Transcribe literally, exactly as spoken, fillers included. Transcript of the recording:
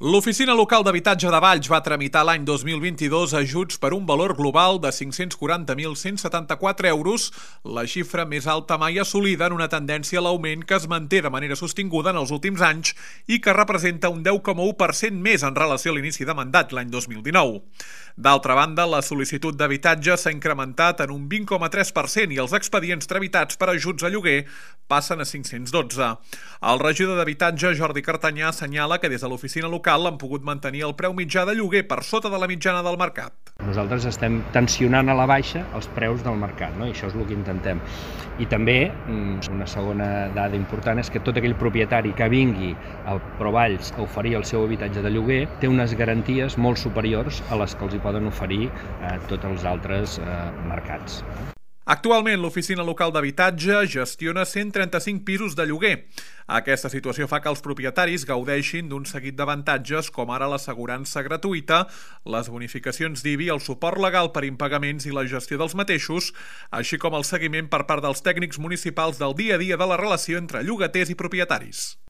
L'Oficina Local d'Habitatge de Valls va tramitar l'any dos mil vint-i-dos ajuts per un valor global de cinc-cents quaranta mil cent setanta-quatre euros, la xifra més alta mai assolida en una tendència a l'augment que es manté de manera sostinguda en els últims anys i que representa un deu coma u per cent més en relació a l'inici de mandat l'any dos mil dinou. D'altra banda, la sol·licitud d'habitatge s'ha incrementat en un vint coma tres per cent i els expedients tramitats per ajuts a lloguer passen a cinc-cents dotze. El regidor d'Habitatge, Jordi Cartanyà, assenyala que des de l'oficina local han pogut mantenir el preu mitjà de lloguer per sota de la mitjana del mercat. Nosaltres estem tensionant a la baixa els preus del mercat, no? I això és el que intentem. I també, una segona dada important és que tot aquell propietari que vingui a Provalls a oferir el seu habitatge de lloguer té unes garanties molt superiors a les que els hi poden oferir eh, tots els altres eh, mercats. Actualment, l'Oficina Local d'Habitatge gestiona cent trenta-cinc pisos de lloguer. Aquesta situació fa que els propietaris gaudeixin d'un seguit d'avantatges com ara l'assegurança gratuïta, les bonificacions d'I B I, el suport legal per impagaments i la gestió dels mateixos, així com el seguiment per part dels tècnics municipals del dia a dia de la relació entre llogaters i propietaris.